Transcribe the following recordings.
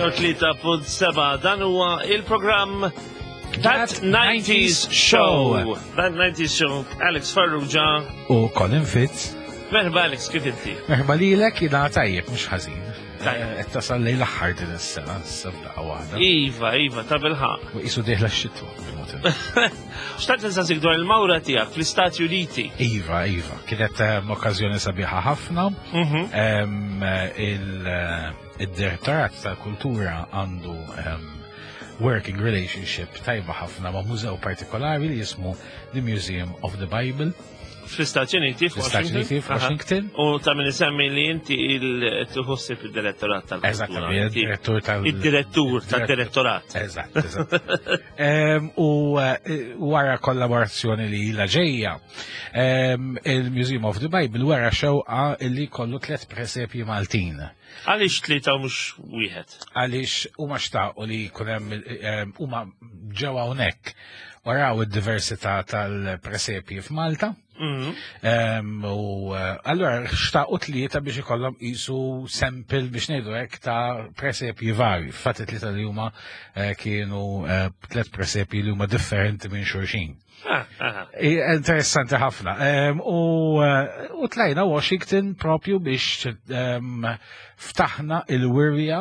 103.7 dan huwa il-programm That 90s Show. That 90s Show. Alex Farrugia. U Colin Fitz. Merħba Alex, kif inti? Merħba lilek jina tajjeb, mhux ħażin. Eh, qed tasal lejn l-aħħar din is-sena, s-sebda waħda. Iva, iva, ta' bilħaq. U qisu dieħla x-xitwa. Xtaqt nsaqsik dwar il-mawra tiegħek fl-Istati Uniti. Iva, iva, kienet ehm, okkażjoni sabiħa ħafna. Mhm. Ehm, eh, il-Direttorat tal-Kultura għandu ehm, working relationship tajba ħafna ma' mużew partikolari li jismu The Museum of the Bible. Fl-Istati Uniti, fl-Istati Uniti, f'Washington. U ta' min isemmi li inti il-tħossib il-direttorat tal Eżatt, il-direttur tal- Il-direttur tal-direttorat. Eżatt, eżatt. U eh, wara kollaborazzjoni li ila ġejja, il-Museum of the Bible wara xewqa li kollu tlet presepji Maltin. Għaliex tlieta u mhux wieħed? Għaliex huma xtaqu li jkun hemm huma ġew hawnhekk waraw id-diversità tal-presepji f'Malta. Mhm. U eh, allura xtaqu tlieta biex ikollhom qisu sample biex ngħidu hekk ta' presepji vari. Fatt tlieta li huma eh, kienu eh, tliet presepji li huma differenti minn xulxin. Ah, ah. Interessanti ħafna. Eh, u tlajna Washington propju biex ftaħna il-wirja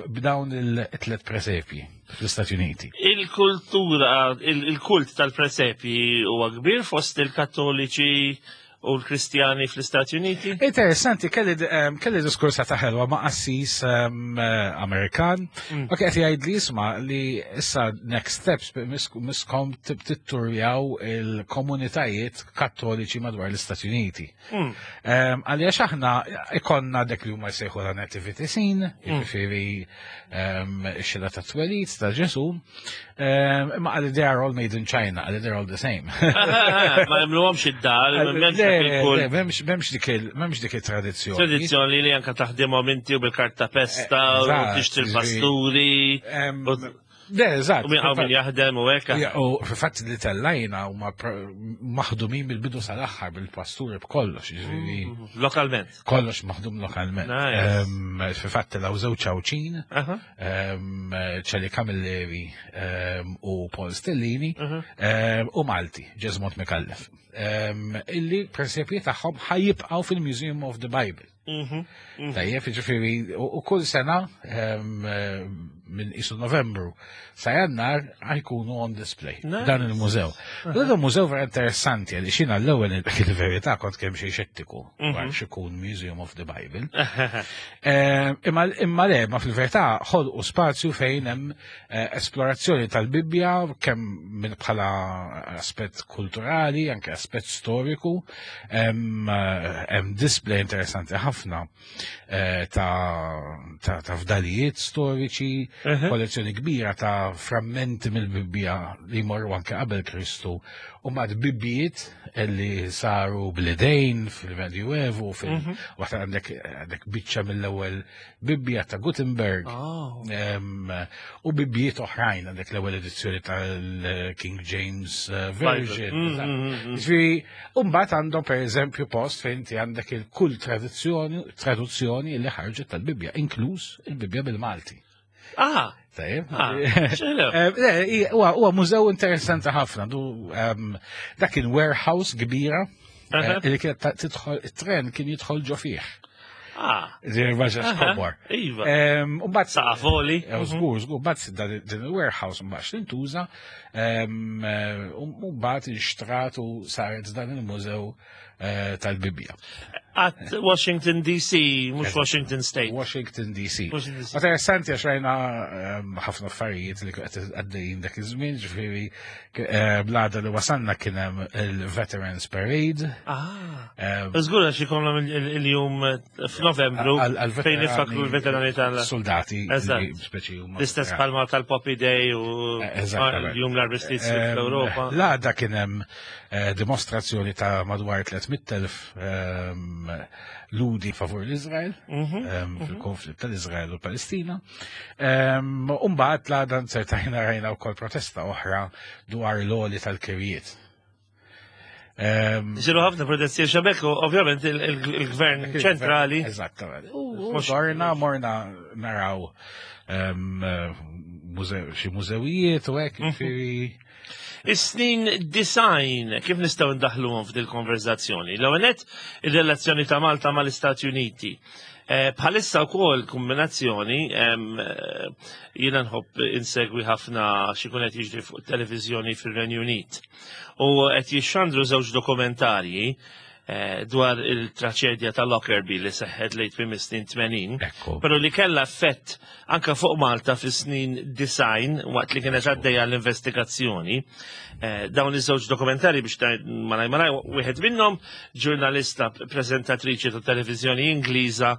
b'dawn il-tlet presepji fl-Istati Uniti. Il-kultura, il-kult tal-presepji huwa kbir fost il-Kattoliċi u l-Kristjani fl-Istati Uniti? Interessanti, kelli, um, kelli diskursa ta' ħelwa ma' qassis um, Amerikan, mm. u qed jgħid li jisma' li issa next steps miskom titturjaw il-komunitajiet kattoliċi madwar l-Istati Uniti. Mm. Um, għaliex aħna ikonna dak li huma jsejħu la nativity scene, mm. jiġifieri um, xila ta' twelid ta' Ġesu, um, imma għalli they are all made in China, għalli they're all the same. Ma jemluhomx id-dar, m'hemmx dik il-tradizzjoni. Tradizzjoni li anka taħdimhom inti u bil-karta pesta, u tixtri l-pasturi. Le, eżatt. U min min jaħdem u hekk. U fil-fatt li tellajna huma maħdumin mill-bidu sal-aħħar bil-pasturi b'kollox, jiġifieri. Mm, lokalment. Kollox maħdum lokalment. Fil-fatt telgħu żewġ Għawdxin, Ċeli Camilleri u Paul Stellini u Malti, Ġeżmont Mikallef. Illi presepji tagħhom ħajjibqgħu fil-Museum of the Bible. Mhm, mhm. Tajjeb, ġifiri, u kull sena eh, minn isu novembru sa jannar ħajkunu on display dan il-mużew. Dan il-mużew vera interessanti għalli xina l-ewwel il-verità kont kemm xi xettiku mhm. dwar xikun Museum of the Bible. Eh, imma le, ma fil-verità ħolqu spazju fejn hemm eh, esplorazzjoni tal-Bibbja kemm minn bħala aspett kulturali, anke aspett storiku, Hemm display interessanti ħafna eh, ta' fdalijiet storiċi, kollezzjoni kbira ta' frammenti mill-Bibbja li jmorru anke qabel Kristu u mad bibbijiet li saru bl-idejn fil-Medjuevu, fil-waħda mhm. għandek għandek biċċa mill-ewwel Bibbja ta' Gutenberg oh. u bibbijiet oħrajn għandek l-ewwel edizzjoni tal-King James eh, Version. Mm, mm, mm, ġifieri, mbagħad għandhom pereżempju post fejn inti għandek il-kull traduzzjoni traduzzjoni li ħarġet tal-Bibbja, inkluż il-Bibbja bil-Malti. Ah, Tajjeb. Ah, eh, huwa mużew interessanti ħafna. Dak kien warehouse kbira eh, li kienet tidħol it-tren kien jidħol ġo fih. Ah. Ġiri kobor. Iva. U bat saqafoli. Eh, żgur, żgur, bat din il-warehouse mbagħad tintuża u mbagħad inxtrat u saret dan il-mużew Eh, tal-Bibbja. At Washington DC, mux Washington State. Washington DC. Interessanti għax rajna ehm, ħafna affarijiet li għaddejjin dak iż-żmien, ġifieri eh, blada li wasanna kien hemm il-Veterans Parade. Ah. Ehm, Żgur għax ikollhom il-jum f'Novembru fejn nifakru l-veterani tal- Soldati. Speċi huma. L-istess palma tal-Poppy Day u eh, l-jum l-armistizju ehm, fl-Ewropa. L-għada kien hemm Eh, dimostrazzjoni ta' madwar 300.000 ehm, ludi favur l-Izrael, mhm, ehm, mhm. fil-konflitt tal-Izrael u Palestina. Ehm, Umbat la dan sertajna rajna wkoll protesta oħra dwar l-oli tal-kirjiet. Isiru ħafna protesti xabek, ovvjament il-gvern ċentrali. Eżattament. U morna, morna naraw xi mużewijiet u hekk, ġifieri. Is-snin design, kif nistgħu ndaħluhom f'dil konverzazzjoni? L-ewwel nett, ir-relazzjoni ta' Malta mal-Istati Uniti. Bħalissa wkoll kombinazzjoni, jiena nħobb insegwi ħafna xi jkun qed jiġri fuq televiżjoni fir-Renju Unit. U qed jixxandru żewġ dokumentarji dwar il-traċedja ta' Lockerbie li seħħet lejn tmiem is-snin 80, però li kellha effett anka fuq Malta fis-snin design waqt li kienet għaddejja l-investigazzjoni. Dawn iż-żewġ dokumentari biex malaj malaj, wieħed minnhom ġurnalista prezentatriċi ta' televiżjoni Ingliża,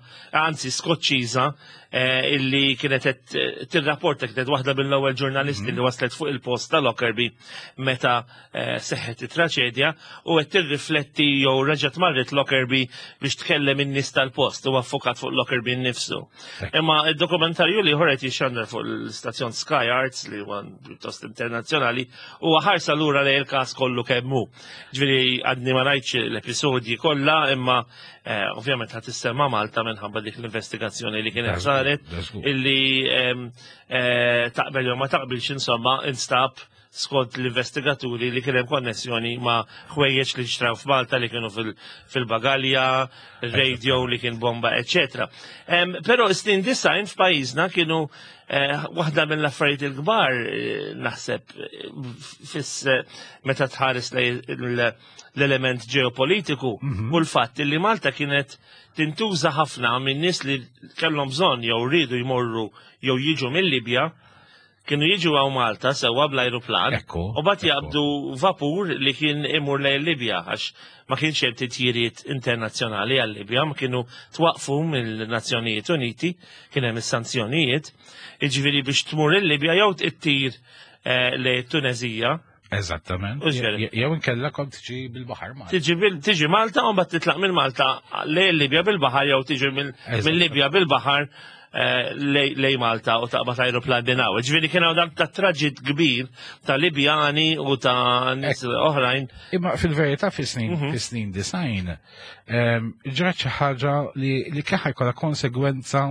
anzi Skoċċiża, illi kienet qed tirrapporta, kienet waħda mill-ewwel ġurnalisti li waslet fuq il-post ta' Lockerbie meta seħħet it-traċedja, u qed tirrifletti jew reġgħet marret Lockerbie biex tkellem in-nies tal-post u affokat fuq Lockerbie nnifsu. Imma id-dokumentarju li ħoret jixxandar fuq l-istazzjon Sky Arts, li huwa pjuttost internazzjonali, huwa ħarsa lura lejn il-każ kollu kemm hu. Ġifieri għadni ma rajtx l-episodji kollha, imma ovvjament ħadd issemma Malta minħabba dik l-investigazzjoni li kienet saret, illi taqbel jew ma taqbilx, insomma, instab skont l-investigaturi li kien hemm konnessjoni ma' ħwejjeġ li xtraw f'Malta li kienu fil-bagalja, radio li kien bomba, eccetera. Però s-snin design f'pajjiżna kienu waħda mill-affarijiet il-kbar, naħseb, fis meta tħares l-element ġeopolitiku u l-fatt li Malta kienet tintuża ħafna minn nies li kellhom bżonn jew rridu jmorru jew jiġu mill-Libja, kienu jiġu għaw Malta sewwa bl-ajruplan, u bat jaqbdu vapur li kien imur lejn Libja, għax ma kienx hemm titjiriet internazzjonali għal Libja, ma kienu twaqfu mill-Nazzjonijiet Uniti, kien hemm is-sanzjonijiet, jiġifieri biex tmur il-Libja jew tittir lejn Tunezija. Eżattament. U ġifieri. Jew inkella kont tiġi bil-baħar Malta. Tiġi Malta u mbagħad titlaq minn Malta lejn Libja bil-baħar jew tiġi minn Libja bil-baħar lej Malta u taqbad ajruplan minn hawn. Ġifieri kien hawn dak ta' traġit kbir ta' Libjani u ta' nies oħrajn. Imma fil-verità fis-snin design, ġrat xi ħaġa li kien ħajkollha konsegwenza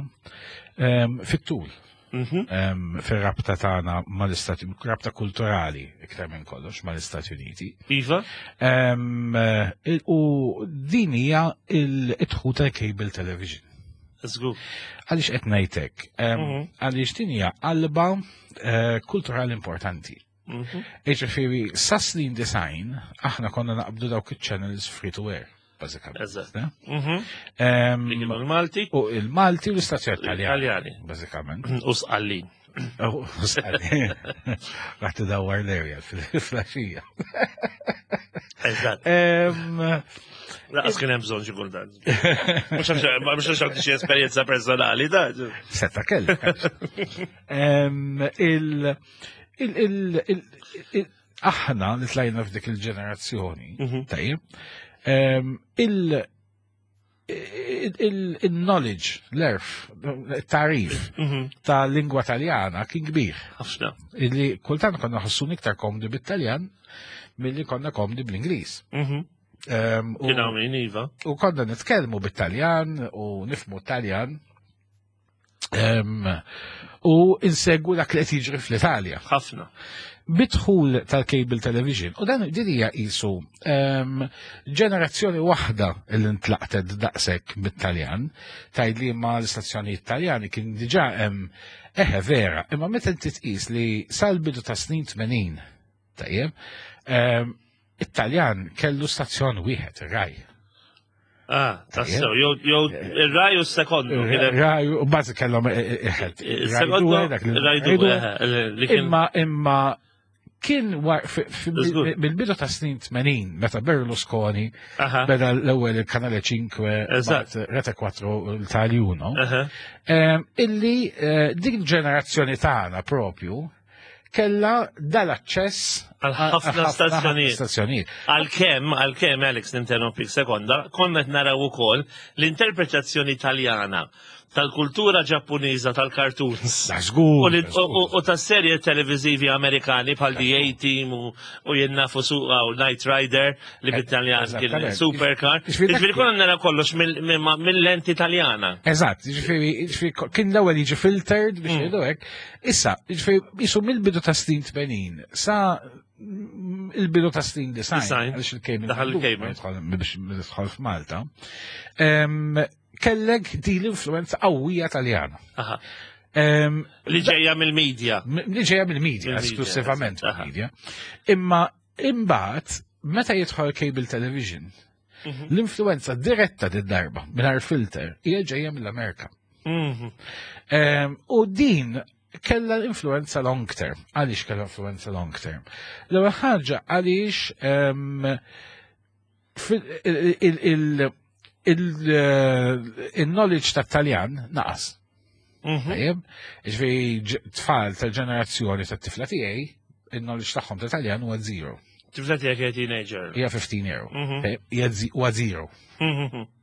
fit-tul. Fir-rabta tagħna mal-Istati, rabta kulturali iktar minn kollox mal-Istati Uniti. U din hija il-dħul tal-cable television. Żgur. Għaliex qed ngħidlek? Għaliex din hija qalba kulturali importanti. Jiġifieri sa snin design aħna konna naqbdu dawk iċ-channels free to air, bażikament. Ne? Li kienu l-Malti. U il-Malti u l-istazzjon Taljani. Taljani. Bażikament. U Sqallin. U Sqallin. Raħ tidawwar l-area fil-flaxija. Laqas kien hemm bżonn xi kultant. Mhux għax għandi xi esperjenza personali, da. Seta' kellek. Aħna li tlajna f'dik il-ġenerazzjoni, tajjeb, il-knowledge, l-erf, il-tarif ta' lingwa taljana kien kbir. Ħafna. Illi kultant konna ħossu iktar komdi bit-Taljan milli konna komdi bl-Ingliż. Kien hawn min, iva. U konna nitkellmu bit-Taljan u nifhmu t-Taljan. U insegwu dak li qed jiġri fl-Italja. Ħafna. Bidħul tal-cable television. U dan din hija qisu ġenerazzjoni waħda li ntlaqtet daqshekk bit-Taljan, tgħid li ma l-istazzjonijiet Taljani kien diġà hemm eħe vera, imma meta inti tqis li sal-bidu ta' snin 80, tajjeb, it-Taljan kellu stazzjon wieħed, ir-Rai. Ah, tassew, jew ir-Rai u s-sekondu, kien hemm Ir-Rai u bażi kellhom iħed. Il-sekondu, Rai due, dak li Rai Rai due, due. li kien Imma, imma kien war, fi, fi, Żgur. bil-bidu ta' snin 80, meta Berlusconi beda l-ewwel il-Kanale 5, mbagħad Rete 4 l-Italia 1, illi din ġenerazzjoni tagħna propju kella dal-aċċess Għal ħafna għal ħafna stazzjonijiet. stazzjonijiet. Għalkemm, Alex, ninterrompik sekonda, konna qed naraw ukoll l-interpretazzjoni Taljana tal-kultura Ġappuniża tal-cartoons. Żgur. U tas-serje televiżivi Amerikani bħal The A-Team u jien nafu suqa u Knight Rider li eh, bit-Taljan kien Supercar. Ġifieri konna nara kollox mill-lenti Taljana. Eżatt, ġifieri kien l-ewwel jiġi filtered biex jgħidu hekk. Issa, ġifieri jisu mill-bidu ta' snin 80 sa il-bidu ta' snin design, għaliex il-cable. Daħal il-cable. Biex nidħol f'Malta. Kellek di l-influenza qawwija Taljana. Li ġejja mill-medja. Li ġejja mill-medja, esklusivament mill-medja. Imma imbagħad meta jidħol cable television, l-influenza diretta din darba mingħajr filter hija ġejja mill-Amerika. U din kella influenza long term. Għaliex kella influenza long term? L-ewwel ħaġa għaliex il-knowledge ta' Taljan naqas. Tajjeb, ġifieri tfal tal-ġenerazzjoni tat-tifla tiegħi, il-knowledge tagħhom ta' Taljan huwa zero. Tifla tiegħek hija teenager. Hija 15 year. Hija huwa zero.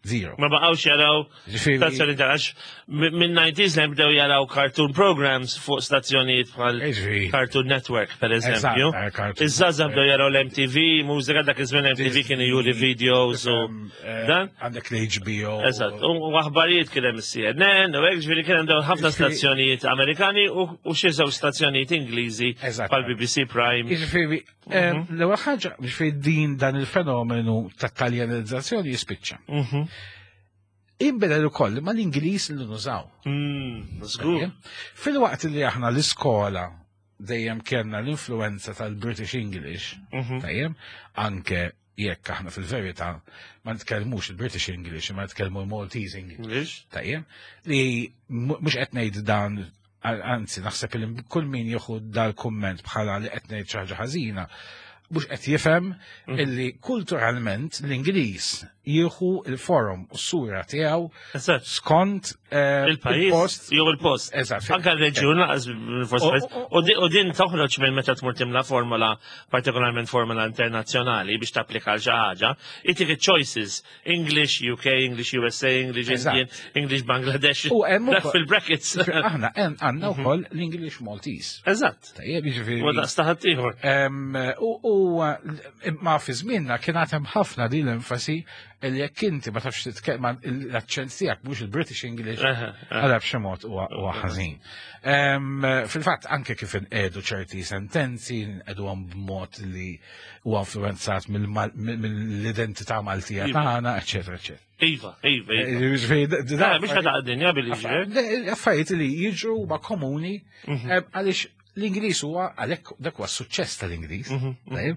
Zero. Ma baqgħux jaraw stazzjoni ta' għax minn 90s li bdew jaraw cartoon programs fuq stazzjonijiet bħal Cartoon Network per eżempju. Iż-żgħażagħ bdew jaraw l-MTV, mużika dak iż-żmien MTV kienu juri videos u eh, dan. Għandek l-HBO. Eżatt, u aħbarijiet kien hemm CNN u hekk ġifieri kien hemm dawn ħafna stazzjonijiet Amerikani u xi żewġ stazzjonijiet Ingliżi bħal BBC Prime. Jiġifieri mhm. L-ewwel ħaġa biex din dan il-fenomenu ta' taljanizzazzjoni jispiċċa. Mhm. Inbidel ukoll ma l-Ingliż li nużaw. Żgur. Fil-waqt li aħna l-iskola dejjem kellna l-influenza tal-British English, mhm. tajjeb, anke jekk aħna fil-verità ma nitkellmux il-British English, ma nitkellmu l-Maltese English. Tajjeb, li mhux qed ngħid dan anzi naħseb li kull min jieħu dal-kumment bħala li qed ngħid xi ħaġa ħażina, mhux qed jifhem illi kulturalment l-Ingliż jieħu il-forum u s-sura tiegħu skont eh, il-pajjiż jew il-post. Eżatt. Anke r-reġjun laqas U din toħroġ minn meta tmur timla formola, partikolarment formola internazzjonali biex tapplika għal xi ħaġa, itik choices English UK, English USA, English Indian, English Bangladesh. U hemm fil-brackets. Aħna għandna mhm. wkoll l-English Maltese. Eżatt. Tajjeb, jiġifieri. U daqs ieħor. U ma fi żmienna kien hemm ħafna din l-enfasi li jekk inti ma tafx titkellem l-aċċent tiegħek mhux il-British English, għala b'xi mod huwa ħażin. Fil-fatt anke kif inqedu ċerti sentenzi, nqeduhom b'mod li huwa influenzat mill-identità Maltija iva. tagħna, eċetera, eċetera. Iva, iva, iva. Eh, mhux ħata dinja billi Affarijiet li jiġru ma komuni mhm. eh, għaliex l-Ingliż huwa għalhekk dak huwa s-suċċess tal-Ingliż. Mhm, mhm.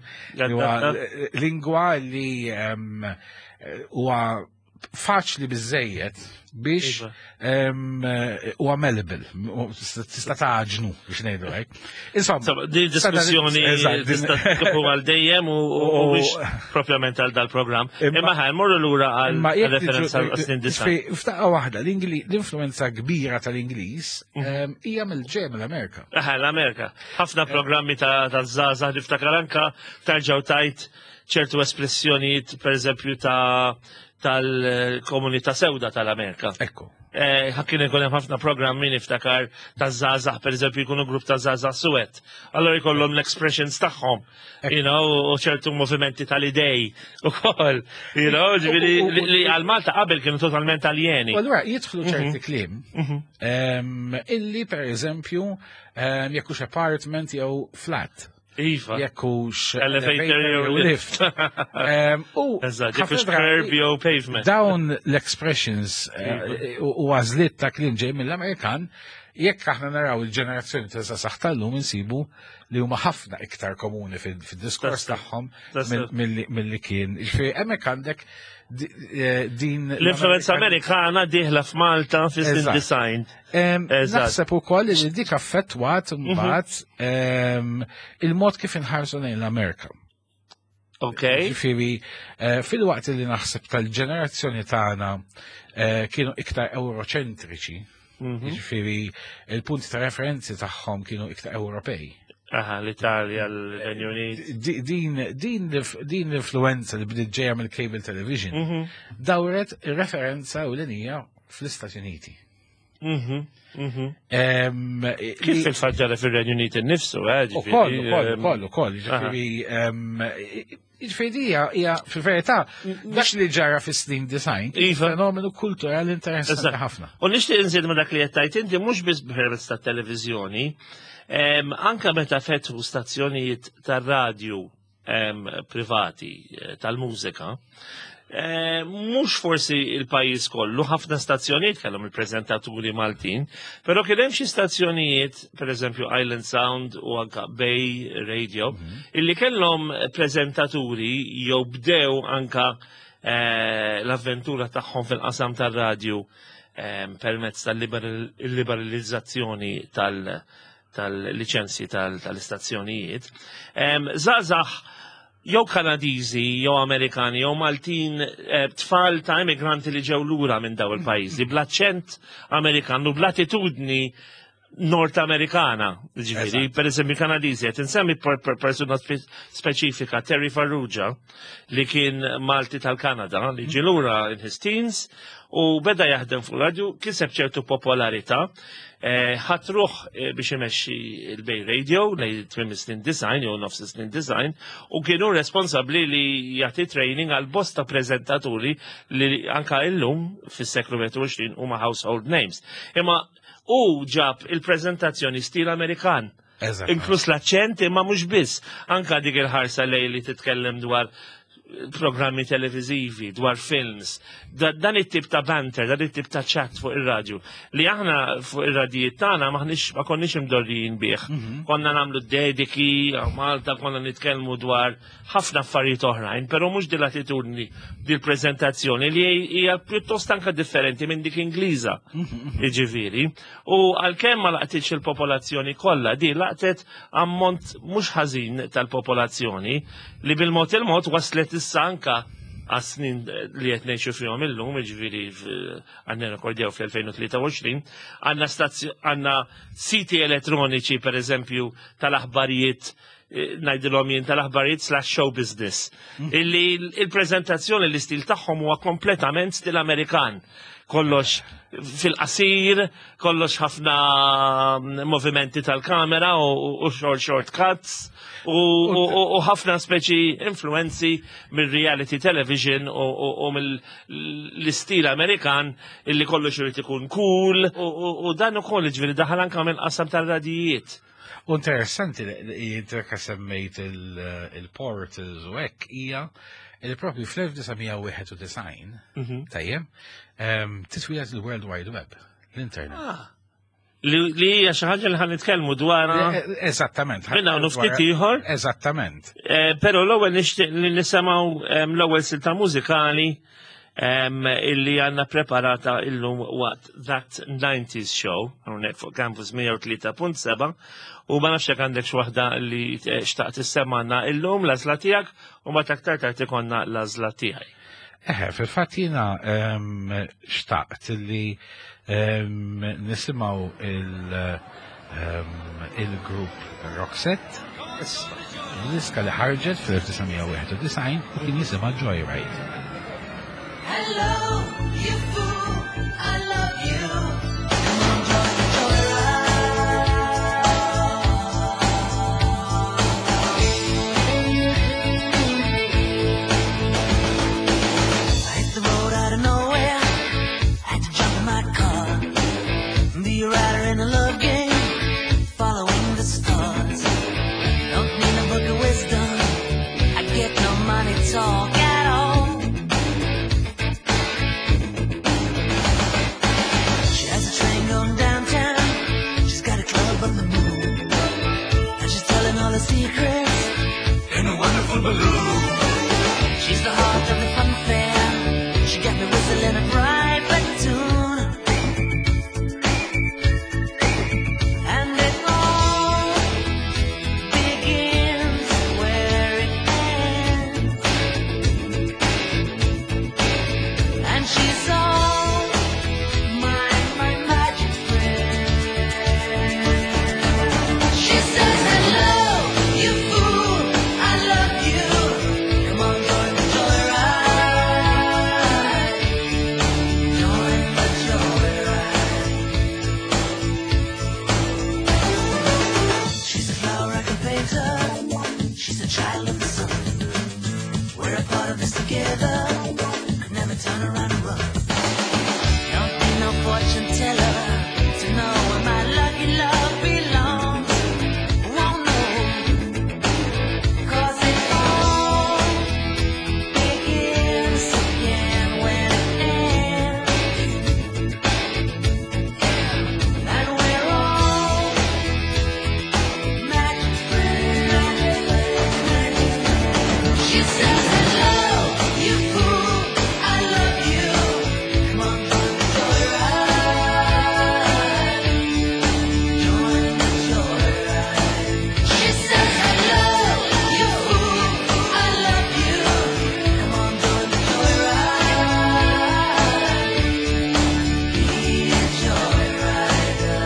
Huwa lingwa li ehm, huwa faċli biżejjed biex iva. huwa malleable, tista' taġnu biex ngħidu hekk. Insomma, din diskussjoni tista' tkun għal dejjem u mhux propjament għal dal-programm. Imma ħaj morru lura għal referenza għal snin disa. F'daqqa waħda l-influenza kbira tal-Ingliż mhm. hija mill-ġej mill-Amerika. Aha, l-Amerika. Ħafna programmi ta' żgħażagħ niftakar anka tarġgħu tajt ċertu espressjonijiet, per eżempju, ta' tal-komunità sewda tal-Amerika. Ekku. Eh, kien ikun hemm ħafna programmi niftakar ta' żgħażagħ, per eżempju, jkunu grupp ta' żgħażagħ suwed. Allora jkollhom l-expressions tagħhom, you know, u ċertu movimenti tal-idej ukoll, you know, ġifieri li għal Malta qabel kienu totalment aljeni. U allura jidħlu mhm. ċerti kliem mhm. illi per eżempju jekk hux apartment jew flat. Iva. Jekk hux elevator jew lift. U ħafna curb jew pavement. Dawn l-expressions eh, iva. u għażliet ta' kliem ġej mill-Amerikan, jekk aħna naraw il-ġenerazzjoni ta' saħ tal-lum insibu li huma ħafna iktar komuni fid-diskors tagħhom milli kien. Ġifieri hemmhekk għandek eh, din l-influenza Amerikana dieħla f'Malta fis-design. Naħseb ukoll li dik affettwat mhm. mbagħad il-mod kif inħarsu lejn l-Amerika. Ok. Ġifieri, eh, fil-waqt li naħseb tal-ġenerazzjoni tagħna eh, kienu iktar euroċentriċi, mhm. ġifieri il-punti ta' referenzi tagħhom kienu iktar Ewropej. Aha, l-Italja, l-Renju Unit. Din, din, din l-influenza li bdiet ġejja mill-cable television mhm. dawret referenza u l-inija fl-Istati Uniti. Kif fil-fatt ġara fir-Renju Unit innifsu, eh? Ukoll, ukoll, ukoll, ukoll, ġifieri Ġifieri hija fil-verità dak li ġara fis-snin design, iva. fenomenu kulturali interessanti ħafna. U nixtieq inżid ma dak li qed tgħid inti mhux biss permezz tat-televiżjoni, anke meta fetħu stazzjonijiet tar-radju privati eh, tal-mużika, eh, mhux forsi il-pajjiż kollu, ħafna stazzjonijiet kellhom il-preżentaturi Maltin, però kien hemm xi stazzjonijiet, pereżempju Island Sound u anka Bay Radio, illi kellhom preżentaturi jew bdew anka eh, l-avventura tagħhom fil-qasam tar-radju permezz tal-liberalizzazzjoni tal- tal-liċenzji tal-istazzjonijiet. Żgħażagħ jew Kanadiżi, jew Amerikani, jew Maltin, eh, tfal ta' immigranti li ġew lura minn daw il-pajjiżi, bl-aċċent Amerikan u bl-attitudni Nord Amerikana, ġifieri, per eżempju Kanadiżi, qed insemmi persuna speċifika, Terry Farrugia, li kien Malti tal-Kanada, li ġie lura in his teens, u beda jaħdem fuq radju, kiseb ċertu popolarità, eh, ħatruh eh, biex imexxi il-Bay Radio lejn tmiem snin design jew nofs snin design u kienu responsabbli li jagħti training għal bosta preżentaturi li anka illum fis-seklu 21 huma household names. Imma u ġab il-preżentazzjoni stil Amerikan. Inkluż l-aċċent imma mhux biss. Anka dik il-ħarsa lej li titkellem dwar programmi televizivi, dwar films, dan it-tip ta' banter, dan it-tip ta' chat fuq ir-radju, li aħna fuq ir-radijiet tagħna maħniex ma konniex imdorrijin bih. Mhm. Konna nagħmlu dediki, Malta konna nitkellmu dwar ħafna affarijiet oħrajn, però mhux din l-attitudni, din prezentazzjoni li hija pjuttost anka differenti minn dik Ingliża. Mhm, mhm. Jiġifieri. U għalkemm ma laqtitx il-popolazzjoni kollha, di laqtet ammont mhux ħażin tal-popolazzjoni li bil-mod il-mod waslet issa anka għas-snin li qed ngħixu fihom illum, jiġifieri għandna rekordjaw fl-2023, għandna għandna siti elettroniċi pereżempju tal-aħbarijiet eh, ngħidilhom jien tal-aħbarijiet slash show business. Mm. Illi il-preżentazzjoni l-istil tagħhom huwa kompletament stil Amerikan. Kollox fil-qasir, kollox ħafna mm, movimenti tal-kamera u short short cuts u ħafna speċi influenzi mill-reality television u mill-istil Amerikan illi kollox irid ikun cool u dan ukoll ġifieri daħal anke mill-qasam tal-radijiet. U interessanti li jintreka semmejt il-portals u hekk hija li propju fl-1991, mhm. tajjeb, titwieled il-World Wide Web, l-internet. Ah. Li hija xi ħaġa li ħan nitkellmu dwarha. Eh, eh, eżattament. Minn hawn ftit ieħor. Eżattament. Eh, però l-ewwel nixtieq li nisimgħu l-ewwel silta mużikali illi għanna preparata illum waqt That 90s Show, hawnhekk fuq Campus 103.7, u ma nafx jekk għandek waħda li xtaqt issemmanna illum l-għażla tiegħek u ma taktar tard ikonna l-għażla tiegħi. Eħe, fil-fatt jiena xtaqt li nisimgħu il-grupp Roxette, diska li ħarġet fl-1991 u kien jisimha Joyride. Hello, you fool, I love you. Talk at all. child of the sun. We're a part of this together. Could never turn around and run. Don't need no fortune teller to know where my lucky love belongs. Won't know. 'Cause it all begins again when it ends. And we're all magic friends. She says, hello, you fool, I love you. Come on, join the joyride. Join the joyride. She says, hello, you fool, I love you. Come on, join the joyride. Be a joyrider.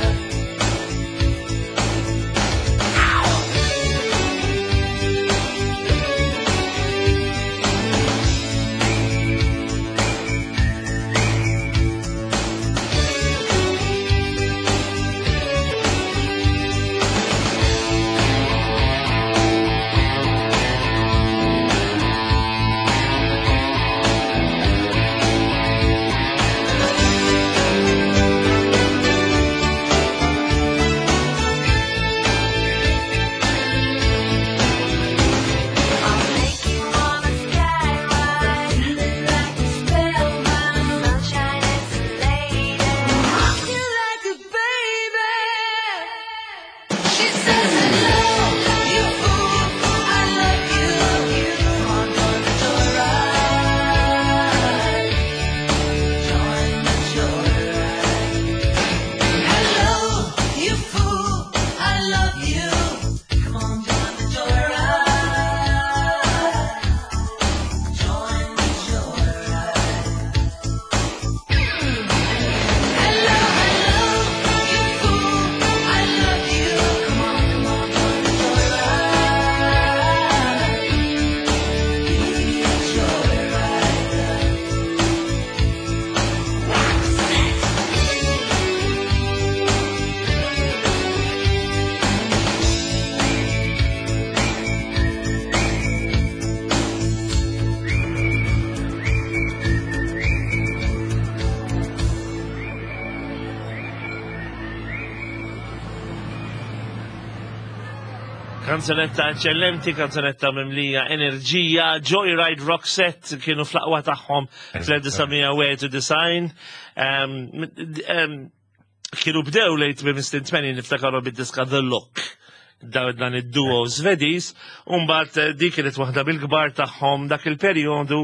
I'll take you on a sky ride, like a spellbound sunshine. It's a lady, you like a baby. She says hello, you fool, I love you. Come on, join the joyride. Join the joyride. Hello, you fool, I love you. Come on, join the joyride. Join the joyride. Hello, hello, you fool, I love you. Come on, come on, join the joyride. Be a joyrider. Wax it. Kanzunetta eccellenti, kanzunetta mimlija enerġija, Joyride Roxette kienu fl-aqwa tagħhom fl-1991. Kienu bdew lejt minn snin 80 niftakaru bid-diska The Look. Dan id-duo Svediż, u mbagħad dik kienet waħda bil-kbar tagħhom dak il-perjodu.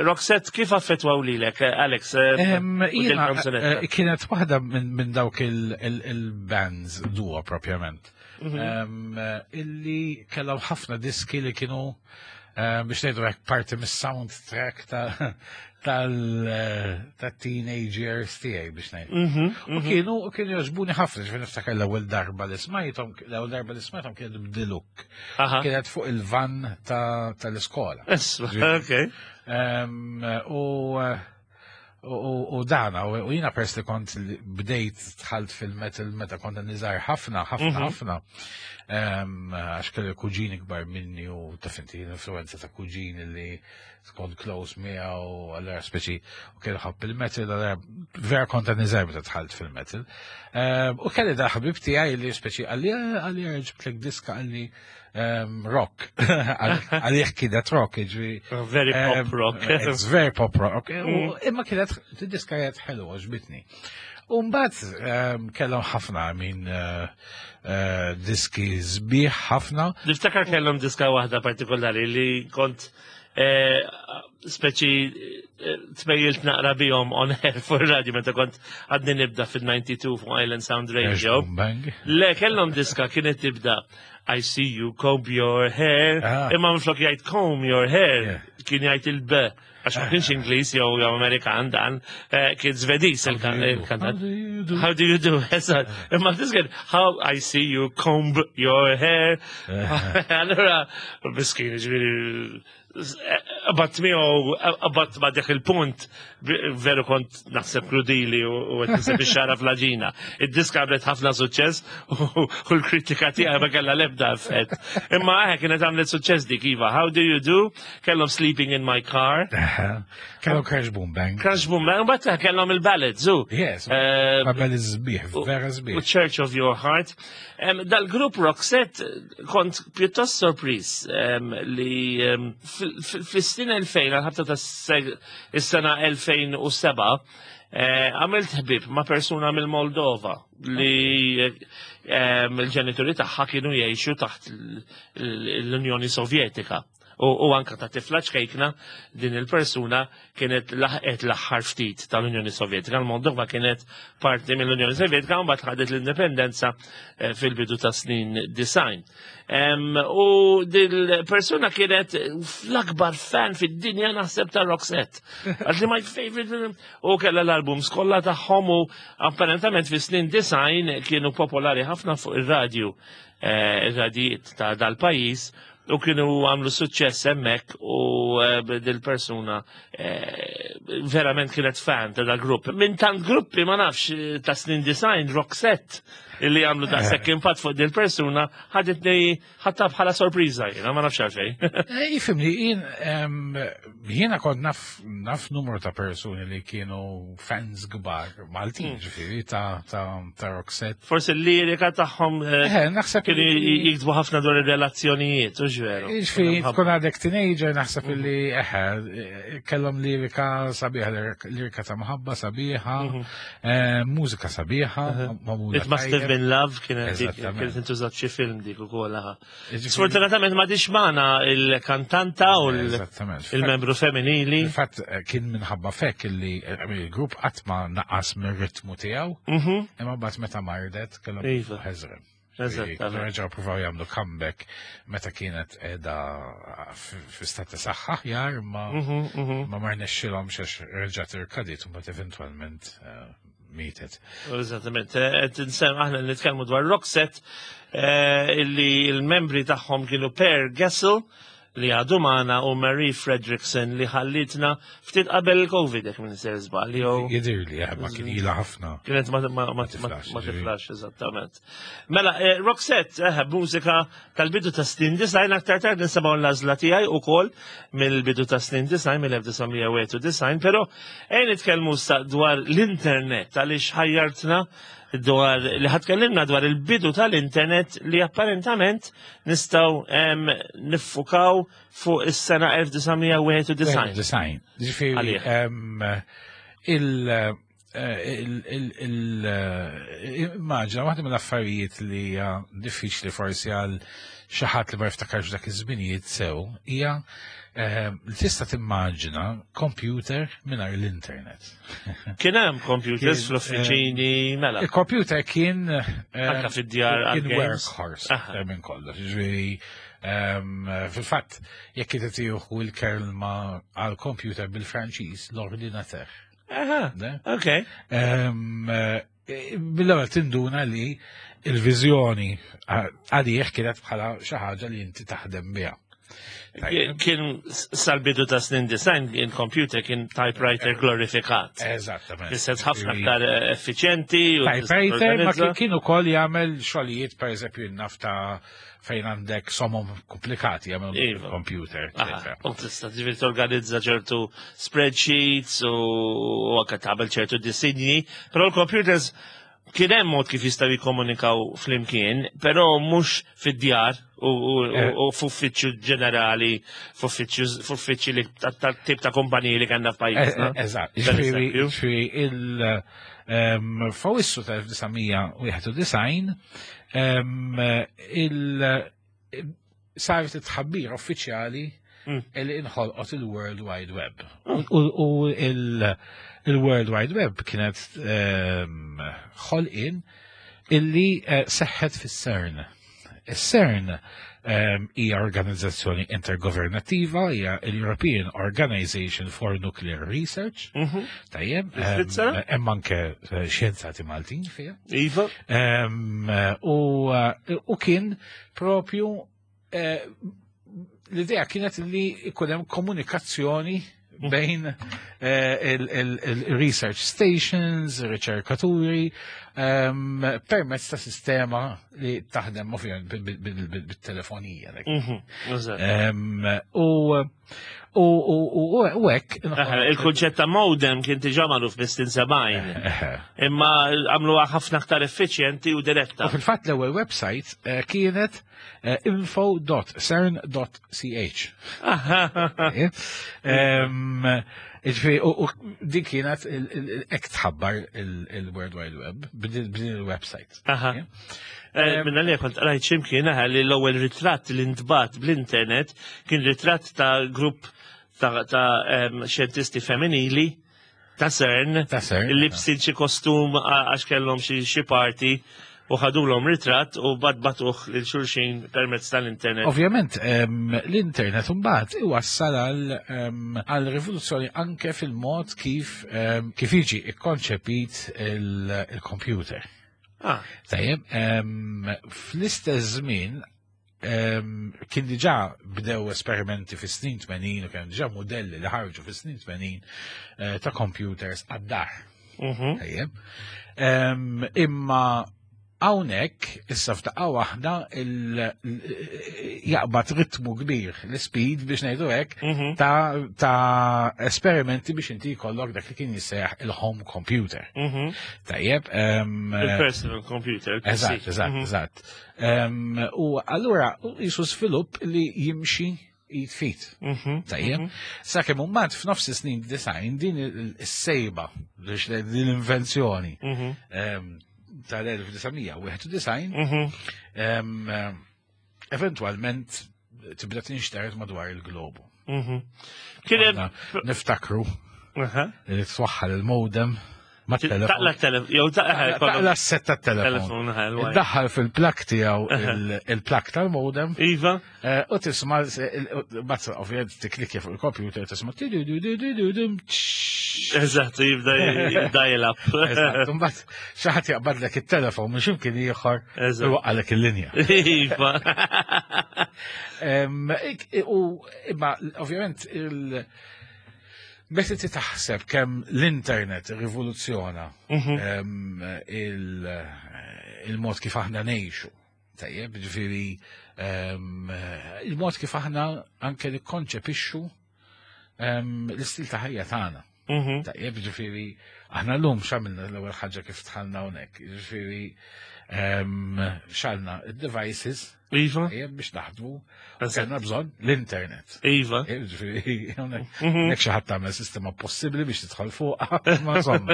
Roxette kif affettwaw lilek, Alex? U din Jiena, kanzunetta? kienet waħda minn dawk il-bands duo propjament. Illi kellhom ħafna diski li kienu biex ngħidu hekk parti mis-soundtrack ta' teenagers tiegħi biex ngħid. U kienu jogħġbuni ħafna, ġifieri niftakar l-ewwel darba li smajthom kienet b'The Look. Kienet fuq il-van tal-iskola. Isma, ok. U dana, u jina pers li kont li bdejt dħalt fil-metal meta kont niżgħar ħafna, ħafna, ħafna. Għax kelli kuġini kbar minni u taf inti l-influenza ta' kuġini li kont close miegħu, allura speċi u kellu ħabb il-metal, allura vera kont niżgħar meta dħalt fil-metal. U kelli da ħabib tiegħi li speċi għalli ġibtlek diska għalli rock. Għalli kienet rock, ġifieri. Very pop rock. It's very pop rock. U imma kienet, diska kienet ħelwa, għoġbitni. U mbagħad kellhom ħafna minn diski sbieħ ħafna. Niftakar kellhom diska waħda partikolari li kont speċi tmejjilt naqra bihom on air fuq radio meta kont għadni nibda fil-92 fuq Island Sound Radio. Boom Bang. Le, kellhom diska kienet tibda "I see you comb your hair." Imma minflok jgħid "comb your hair", kien jgħid il-B. Għax ma kienx Ingliż jew Amerikan dan, kien Svediż il-kantant. How do you do? "How do you do?" Eżatt. Imma disken, "How I see you comb your hair." Allora, miskin, ġifieri, Qabadt miegħu, qabadt ma' dak il-punt, veru kont naħseb krudili u qed niseb ix-xara fl-għaġina. Id-diska għamlet ħafna suċċess u l-kritika tiegħi ma kellha l-ebda effett. Imma eħe kienet għamlet suċċess dik iva. How do you do? Kellhom Sleeping in my car. Kellhom Crash Boom Bang. Crash Boom Bang, but kellhom il-ballads, u. Yes, eh, ballads sbieħ, vera sbieħ. U Church of Your Heart. Dal-grupp Roxette kont pjuttost sorpriż li fis-snin 2000, għal-ħabta ta' is-sena 2007, eh, għamilt ħbib ma' persuna mill-Moldova li l-ġenituri tagħha kienu jgħixu taħt l-Unjoni Sovjetika. U anka ta' tifla ċkejkna din il-persuna kienet laħqet l-aħħar ftit tal-Unjoni Sovjetika. Il-Moldova kienet parti mill-Unjoni Sovjetika u mbagħad ħadet l-indipendenza eh, fil-bidu ta' snin design. U dil-persuna kienet l-akbar fan fid-dinja naħseb ta' Roxette. Għax li my favorite u kellha l-albums kollha tagħhom u apparentament fi snin design kienu popolari ħafna fuq ir-radju, eh, ir-radijiet ta' dal-pajjiż u kienu għamlu suċċess hemmhekk u eh, dil-persuna eh, verament kienet fan ta' dal-grupp. Minn tant gruppi ma nafx eh, ta' snin design, Roxette, illi għamlu da' sekk impatt fuq dil-persuna, ħaditni ħatta bħala sorpriża jiena, ma nafx għalfejn. Jifimni, jiena kont naf naf numru ta' persuni li kienu fans kbar Maltin, hmm. ġifieri ta' ta' Roxette. Forsi l-lirika tagħhom eh, eh, naħseb kienu jiktbu ħafna dwar ir-relazzjonijiet, u ġveru. Ġifieri tkun għadek teenager naħseb hmm. li eħe kellhom lirika sabiħa, lirika ta' mħabba sabiħa, mhm. eh, mużika sabiħa, It must have been love kienet kienet intużat xi film dik ukoll. Sfortunatament ma dix magħna il-kantanta u il-membru femminili. Fatt eh, kien minħabba fekk li eh, il-grupp qatt ma naqas mir-ritmu tiegħu, mhm. imma mbagħad meta mardet kellhom iva. ħeżrem. Reġgħu provaw jagħmlu comeback meta kienet qiegħda fi stat ta' saħħa aħjar ma mhm, mhm. ma marnexxilhomx għax reġgħet irkadiet u mbagħad eventwalment eh, mietet. Eżattament, eh, qed insem aħna nitkellmu dwar Roxette eh, illi l-membri tagħhom kienu Per Gessel li għadu magħna u Marie Fredrickson li ħallitna ftit qabel il-Covid jekk minn ser żball jew. Jidirli, eh, ma kien ilha ħafna. Kienet ma tiflax eżattament. Mela, Roxette, mużika Tal-bidu ta' snin design aktar tard nisimgħu l-għażla tiegħi ukoll mill-bidu ta' snin design mill-1991, però ejn nitkellmu dwar l-internet għaliex ħajjartna dwar li ħatkellimna dwar il-bidu tal-internet li apparentament nistgħu niffukaw fuq is-sena 1991. Design. Ġifieri il- Immaġina, waħda mill-affarijiet li hija diffiċli forsi għal xi ħadd li ma jiftakarx dak iż-żminijiet sew hija eh, li tista' timmaġina computer mingħajr l-internet. Kien hemm computers fl-uffiċini eh, mela. Il-computer kien eh, anke fid-djar kien workhorse minn kollox. Ġifieri ehm, fil-fatt jekk tieħu l-kelma għal computer bil-Franċiż l-ordinateur. Aha, ok. Eh, bil-ewwel tinduna li il-viżjoni għalih kienet bħala xi ħaġa li inti taħdem biha. Kien sal-bidu ta' snin design, il-computer kien typewriter glorifikat. Eżattament. Fis-sens ħafna aktar effiċjenti. Typewriter ma kien ukoll jagħmel xogħlijiet pereżempju nafta fejn għandek somom komplikati għamil iva. computer. U tista' ġifieri torganizza ċertu spreadsheets u anke tagħmel ċertu disinji, però l-computers kien hemm mod kif jistgħu jikkomunikaw flimkien, però mhux fid-djar u eh. f'uffiċċju ġenerali, f'uffiċċju li tip ta' kumpaniji li kellna f'pajjiżna. Eh, eh, eżatt, ġifieri il ehm, fawissu tal-1991 il saret it-tħabbira uffiċjali mm. li inħolqot il-World Wide Web. U il-World Wide Web kienet ħolqien illi eh, seħħet fis-CERN. Is-CERN hija organizzazzjoni intergovernattiva, hija l-European Organization for Nuclear Research. Mhm. Tajjeb, hemm anke eh, xjenzati Maltin fiha. Iva. Eh, u kien propju eh, L-idea kienet li jkun hemm komunikazzjoni bejn il-research stations, riċerkaturi, permezz ta' sistema li taħdem ovvjament bit-telefonija. U hekk. Il-kunċett ta' modem kien diġà magħruf mis-snin 70. Imma għamluha ħafna aktar effiċjenti u diretta. U fil-fatt l-ewwel website kienet info.cern.ch. Ġifieri, u din kienet hekk tħabbar il-World Wide Web b'din il-website. Minna li kont rajt ximkien li l-ewwel ritratt li ntbat bl-internet kien ritratt ta' grupp ta' xjentisti femminili ta' CERN, Ta' CERN, li bsin xi kostum għax kellhom xi party u ħadulhom ritratt u badbatuh lil xulxin permezz tal-internet. Ovvjament, l-internet imbagħad iwassal għal rivoluzzjoni anke fil-mod kif jiġi ikkonċepit il-computer. Tajjeb, fl-istess żmien kien diġà bdew esperimenti fis-snin 80 u kien diġà modelli li ħarġu fis-snin 80 ta' computers għad-dar. Tajjeb. Imma hawnhekk issa f'daqqa waħda jaqbad ritmu kbir, l-speed biex ngħidu hekk, ta' esperimenti biex inti jkollok dak li kien jissejjaħ il-home computer. Tajjeb, Il-personal computer, il-PC. Eżatt, eżatt, eżatt. U allura jisu svilupp li jimxi jitfit. Tajjeb. Sakemm imbagħad f'nofs is-snin 90 din is-sejba, biex din l-invenzjoni, tal-1991, eventualment tibda tinxtered madwar il-globu. Kien hemm Aħna niftakru li twaħħal il-modem ma' telefon. Taqla telefon, jew taqla Taqla s-set ta' telefon. Telefon, l-wire. Iddaħħal fil-plug tiegħu il-plug tal-modem. U tisma' bazz, ovvjament tiklikja fuq il-computer tisma' ti du du du du du dum, tx. Eżatt, jibda jilgħab. Eżatt, imbagħad xi ħadd jaqbadlek it-telefon minn x'imkien ieħor u waqalek il-linja. U imma ovvjament meta ti taħseb kemm l-internet rivoluzzjona il-mod kif aħna ngħixu, tajjeb, ġifieri, il-mod kif aħna anke nikkonċepixxu l-istil ta' ħajja tagħna. Tajjeb, ġifieri, aħna llum x'għamilna l-ewwel ħaġa kif dħalna hawnhekk, ġifieri, xgħalna id-devices tajjeb biex naħdmu, u kellna bżonn l-internet. Ġifieri, hawnhekk hekk xi ħadd tagħmel sistema possibbli biex tidħol fuqha, ma insomma.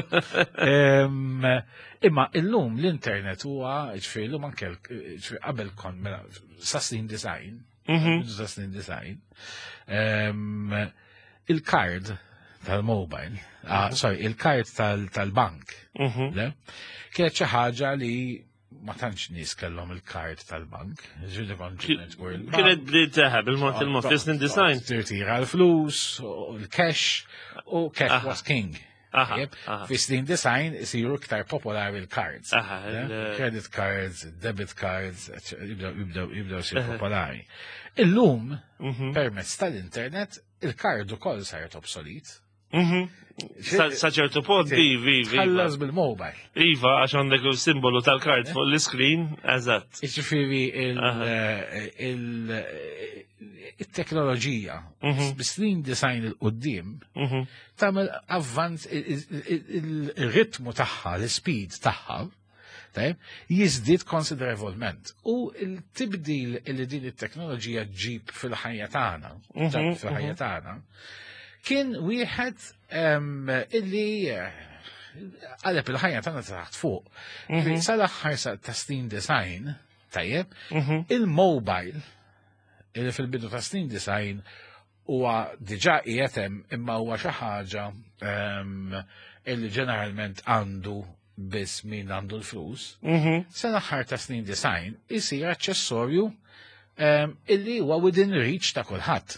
Imma illum l-internet huwa, ġifieri, illum anke ġifieri qabel kon mela sa snin 90, sa snin 90, il-card tal-mobile, sorry, il-card tal-bank, le? Kienet xi ħaġa li ma tantx nies kellhom il-card tal-bank. Ġifieri kont ġiet tmur il-bank. Kienet bdiet teħeb il-mod il-mod fis-snin 90. Tirtira l-flus, u l-cash, u cash was king. Tajjeb, fis-snin 90 isiru iktar popolari l-cards. Le? Credit cards, debit cards, eccetera, jibdew isiru popolari. Illum, permezz tal-internet, il-card ukoll saret obsolet. Sa ċertu punt, ivi, ivi, iva. Tħallas bil-mobile. Iva, għax għandek il-simbolu tal-kard fuq l-screen, eżatt. Jiġifieri il-teknoloġija, bis-snin 90 'il quddiem, tagħmel avvanz, il-ritmu tagħha, l-speed tagħha, tajjeb, jiżdied konsiderevolment. U il-tibdil li din it-teknoloġija ġib fil-ħajja tagħna, ġab fil-ħajja tagħna, kien wieħed illi qaleb il-ħajja tagħna taħt fuq. Sal-aħħar ta' snin 90, tajjeb, il-mobile, illi fil-bidu ta' snin 90 huwa diġà qiegħed hemm, imma huwa xi ħaġa illi ġeneralment għandu biss min għandu l-flus, sal-aħħar ta' snin 90 isir aċċessorju illi huwa within reach ta' kulħadd.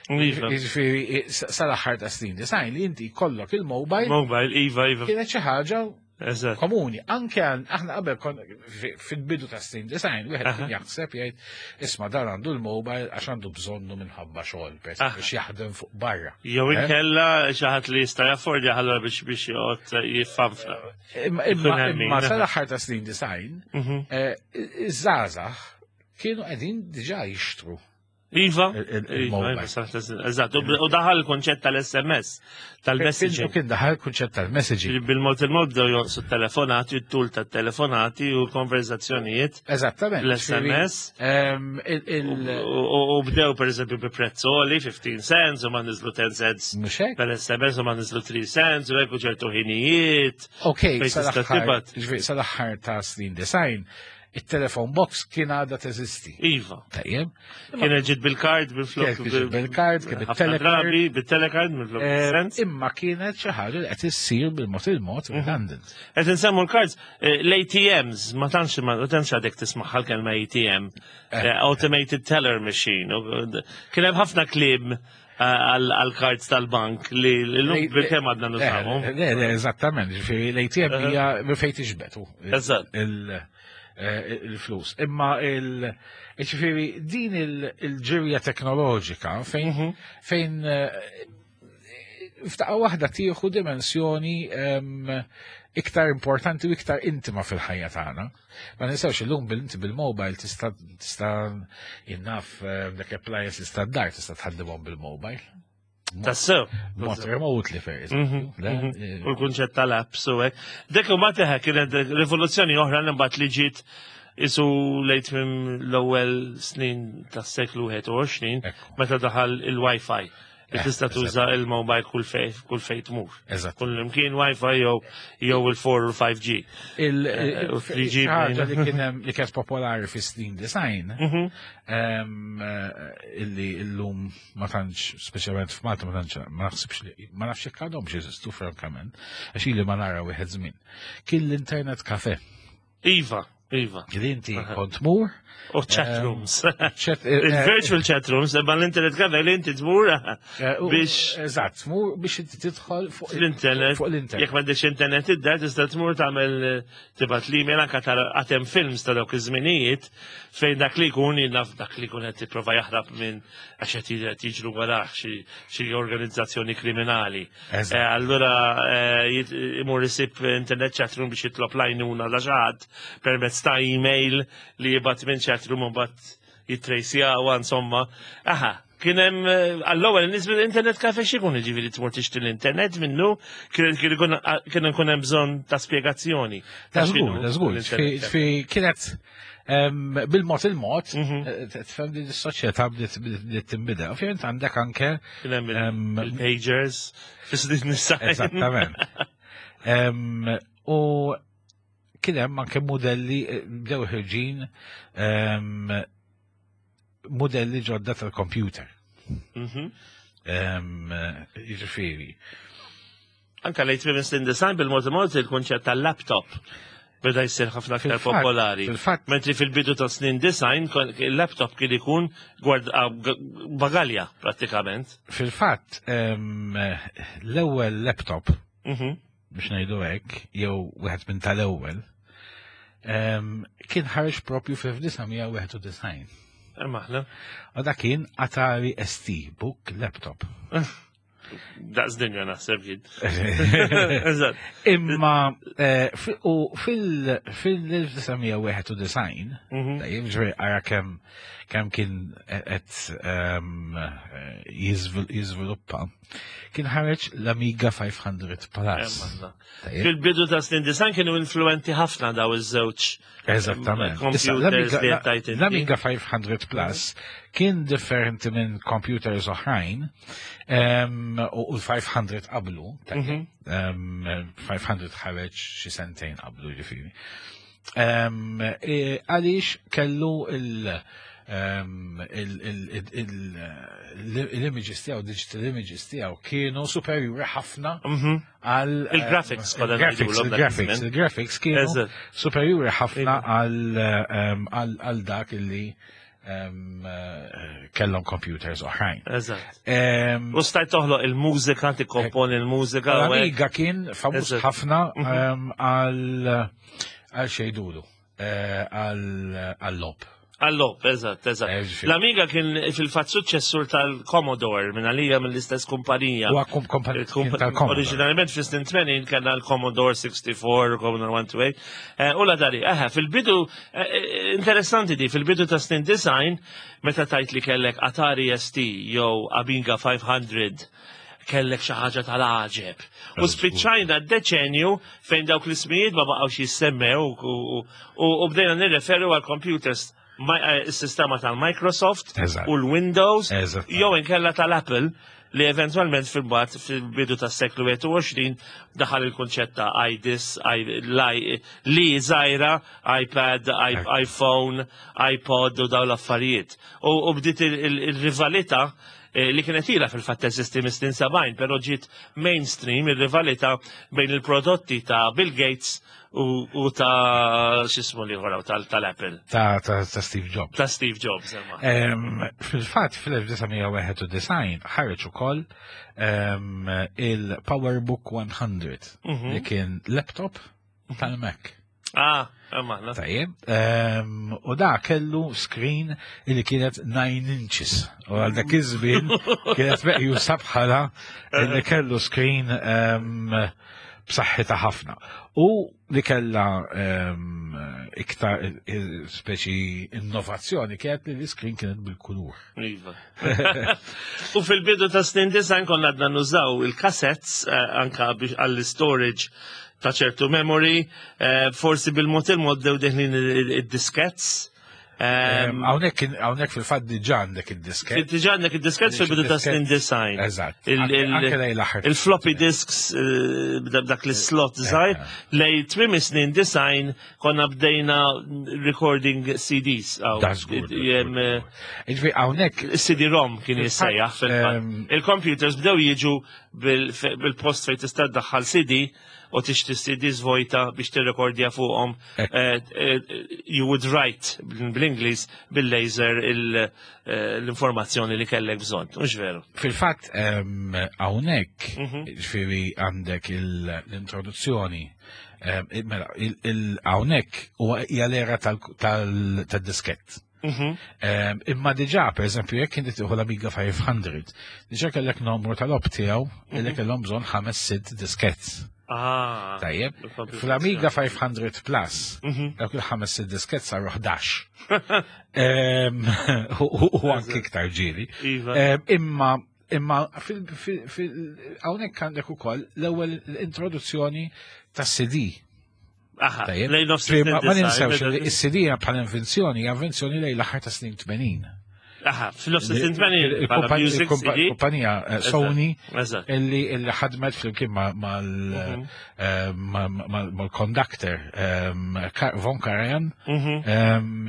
Iva. Jiġifieri, sal-aħħar ta' snin 90 li inti jkollok il-mobile. Mobile, iva, iva. Kienet xi ħaġa Komuni, anke aħna qabel fil-bidu ta' snin design, wieħed kien jaħseb jgħid isma' dan għandu l-mobile għax għandu bżonnu minħabba xogħol biex jaħdem fuq barra. Jew eh? inkella xi ħadd li jista' jaffordja ħallura biex biex joqgħod jiffanfra. Imma sal-aħħar ta' snin design, mhm. eh, iż-żgħażagħ kienu qegħdin diġà jixtru Iva, iva, eżatt, u daħal il-konċett tal-SMS, tal-messaging. U kien daħal il-konċett tal-messaging. Bil-mod il-mod bdew jonqsu telefonati, t-tul tat-telefonati u l-konverzazzjonijiet. Eżattament. L-SMS. U bdew per eżempju bi prezzoli, 15 cents, u ma nizlu 10 cents. Per SMS u ma nizlu 3 cents, u hekk ċertu ħinijiet. Ok, sal-aħħar ta' snin design, it-telefon box kien għadha teżisti. Iva. Tajjeb. Kien ġiet bil-kard, bil-flok. Kien bil-kard, kien bil-telekard. Bil-telekard, bil-flok. Eh, imma kienet xi ħaġa li qed issir bil-mod il-mod mhm. redundant. Qed insemmu l-cards, eh, l-ATMs, ma tantx ma tantx għadek tismaħħa l-kelma ATM, eh, Automated Teller Machine. Kien hemm ħafna kliem għal-kards tal-bank li l-lum bil-kem għadna nużawhom. Le, le, eżattament, ġifieri l-ATM hija minn fejn tixbetu. Eżatt. Eh, il-flus. Imma il ġifieri din il-ġirja teknoloġika fejn mhm. fejn eh, f'daqqa waħda tieħu dimensjoni iktar importanti u iktar intima fil-ħajja tagħna. Ma ninsewx illum bil-inti bil-mobile tista' tista' jinnaf eh, dak appliances tad-dar tista' tħaddimhom bil-mobile. Tassew. Mod remotely per mhm, mhm. Eh, u l-kunċett tal-apps u hekk. Dik u teħe kienet rivoluzzjoni oħra li mbagħad li ġiet isu lejt minn l-ewwel snin tas-seklu 21 meta daħal il-Wi-Fi. Li tista' tuża il-mobile kull fej kull fej tmur. Eżatt. Kull imkien Wi-Fi jew jew il-4 u l-5G. Il-3G eh, li kien hemm li kienet popolari fi snin design mhm. eh, illi illum ma tantx speċjalment f'Malta ma tantx ma naħsibx li ma nafx jekk għadhom jeżistu frankament għax ili ma nara wieħed żmien. Kien l-internet kafe. Iva, iva. Li inti kont tmur. U chat ehm, rooms. Eh, Il-virtual chat rooms, imma l-internet cafe li inti tmur eh, biex. Eżatt, tmur biex inti tidħol fuq l-internet. Fuq l-internet. Jekk m'għandekx internet id-dar tista' tmur tagħmel eh, tibgħat l-email anke tara għatem films ta' dawk iż-żminijiet fejn dak li jkun naf dak li jkun qed jipprova jaħrab minn għax qed jiġru warah xi organizzazzjoni kriminali. Eh, allura eh, imur isib internet chatroom biex jitlob lajnuna da xaħat permezz ta' email li jibgħat minn chatroom u mbagħad jitrejsjawa insomma. Aha, kien hemm eh, għall-ewwel nies bil-internet kafe x'ikun jiġifieri tmur tixtri l-internet minnu kien ikun hemm bżonn ta' spjegazzjoni. Ta' żgur, ta' żgur. Kienet Bil-mod il-mod, mhm. eh, tfhem li s-soċjetà bdiet tinbidel. Ovvjament għandek anke. Il-pagers, Eżattament. U kien hemm anke modelli eh, bdew ħirġin modelli ġodda tal-computer. Mhm. Jiġifieri. Anka lejt minn snin design bil-mod il-mod il-kunċett tal-laptop beda jsir ħafna aktar popolari. Mentri fil-bidu ta' snin design, il-laptop kien ikun gward bagalja prattikament. Fil-fatt, l-ewwel laptop, mhm. biex ngħidu hekk, jew wieħed minn tal-ewwel, kien ħareġ propju fl-1991. Maħna. U dak kien Atari ST Book Laptop. Daqs dinja naħseb jien. Imma eh, u fil-1991, mhm. tajjeb ġveri għara kemm kemm kien qed ehm, eh, jiżviluppa, kien ħareġ l-Amiga 500 Plus. Fil-bidu ta' snin design kienu influenti ħafna daw iż-żewġ. Eżattament. L-Amiga 500 Plus kien differenti minn computers oħrajn u l-500 qablu, 500 mhm. ħareġ xi sentejn qablu ġifieri. E, għaliex kellu il- l-images tiegħu, digital images tiegħu kienu superjuri ħafna mhm. għal il-graphics il-graphics il-graphics kienu superjuri ħafna għal dak illi. Kellhom computers oħrajn. Eżatt. U stajt toħloq il-mużika, tikkomponi il-mużika. L-Amiga kien famuż ħafna mhm. għal xejdulu, eh, għal-lob. Għall-lob, eżatt, eżatt. Eh, L-Amiga kien fil-fatt suċċessur tal-Commodore, minn għalija mill-istess kumpanija. U kumpanija tal-Commodore. Oriġinarjament fis-snin 80 kellna l-Commodore 64, Commodore 128. Eh, u la dari, eħe, fil-bidu, eh, interessanti di, fil-bidu ta' snin design, meta tajt li kellek Atari ST jew Amiga 500, kellek xi ħaġa tal-għaġeb. U spiċċajna d-deċenju fejn dawk l-ismijiet ma baqgħux jissemmew u bdejna nirreferu għal computers eh, is-sistema tal-Microsoft u l-Windows jew inkella tal-Apple li eventualment fil-bat fil-bidu tas seklu 21 daħal il-kunċett ta' iDis, li żgħira, iPad, iPhone, iPod u daw l-affarijiet. U bdiet il-rivalità eh, li kienet ilha fil-fatt teżisti mis-snin 70, però ġiet mainstream ir-rivalità bejn il-prodotti ta' Bill Gates u ta' xismu li ħoraw tal-Apple. Ta' ta' Steve Jobs. Ta' Steve Jobs, Fil-fatt fil-1991 ħareġ ukoll il-PowerBook 100 mhm. li kien laptop tal-Mac. Ah, maħna. Tajjeb, u da kellu screen li kienet 9 inches. U għal dak iż-żmien kienet meqjusa bħala li kellu screen b'saħħitha ħafna. U li kella iktar speċi innovazzjoni kienet li l-iskrin kienet bil-kulur. Iva. U fil-bidu ta' snin design konna għadna nużaw il-cassettes eh, anka għall-storage ta' ċertu memory, eh, forsi bil-mod il-mod dew deħlin id-diskets. Hawnhekk fil-fatt diġà għandek id-disket. Diġà għandek id-disket fil-bidu ta' snin design. Eżatt. Il-floppy disks eh, dak l-slot żgħir lej tmiem snin design konna bdejna recording CDs. Eh, Ġifieri hawnhekk CD-ROM kien jissejjaħ fil-fatt. Il-computers bdew jiġu bil-post fejn tista' ddaħħal CD u tixtri CDs vojta biex tirrekordja fuqhom. Eh, eh, you would write bl-Ingliż bil-laser eh, l-informazzjoni li kellek bżonn, mhux veru. Fil-fatt hawnhekk mhm. ġifieri għandek l-introduzzjoni mela, hawnhekk huwa hija l-era tal-diskett. Mhm. Imma diġà, per eżempju, jekk inti tieħu l-Amiga 500, diġà kellek numru tal-op tiegħu li mhm. kellhom bżonn ħames sitt diskett. Ah, Tajjeb, fl-Amiga 500 Plus, mhm. dawk il-ħames sitt diskett saru 11. U anki iktar ġieli. Iva. Imma imma hawnhekk għandek ukoll l-ewwel introduzzjoni tas-CD. Aha, ma ninsewx li s-CD bħala invenzjoni, invenzjoni lejn l-aħħar ta' snin 80. Aha, fil-nofs snin 80 Il-kumpanija eh, Sony illi ħadmet flimkien mhm. eh, mal-conductor ehm, Von Karajan mhm. ehm,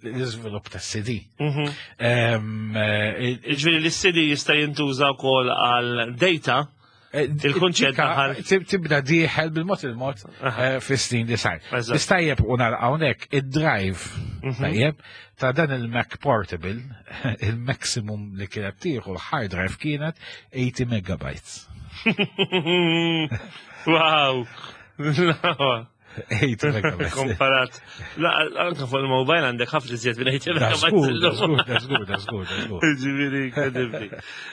l-iżvilupp tas-CD. Mhm. Ehm, eh, Ġifieri l-CD jista' jintuża wkoll għal data Eh, Il-kunċett daħal. Tibda diħel bil-mod il-mod eh, fis-snin li sar. Istajjeb u nara hawnhekk id-drive mhm. tajjeb ta' dan il-Mac Portable, il-maximum li kienet tieħu l-hard drive kienet 80 megabytes. Wow! 80 megabytes. Komparat. La, anka fuq il-mobile għandek ħafna iżjed minn 80 megabytes. Da żgur, da żgur, da żgur, da żgur. Ġifieri, inkredibbli.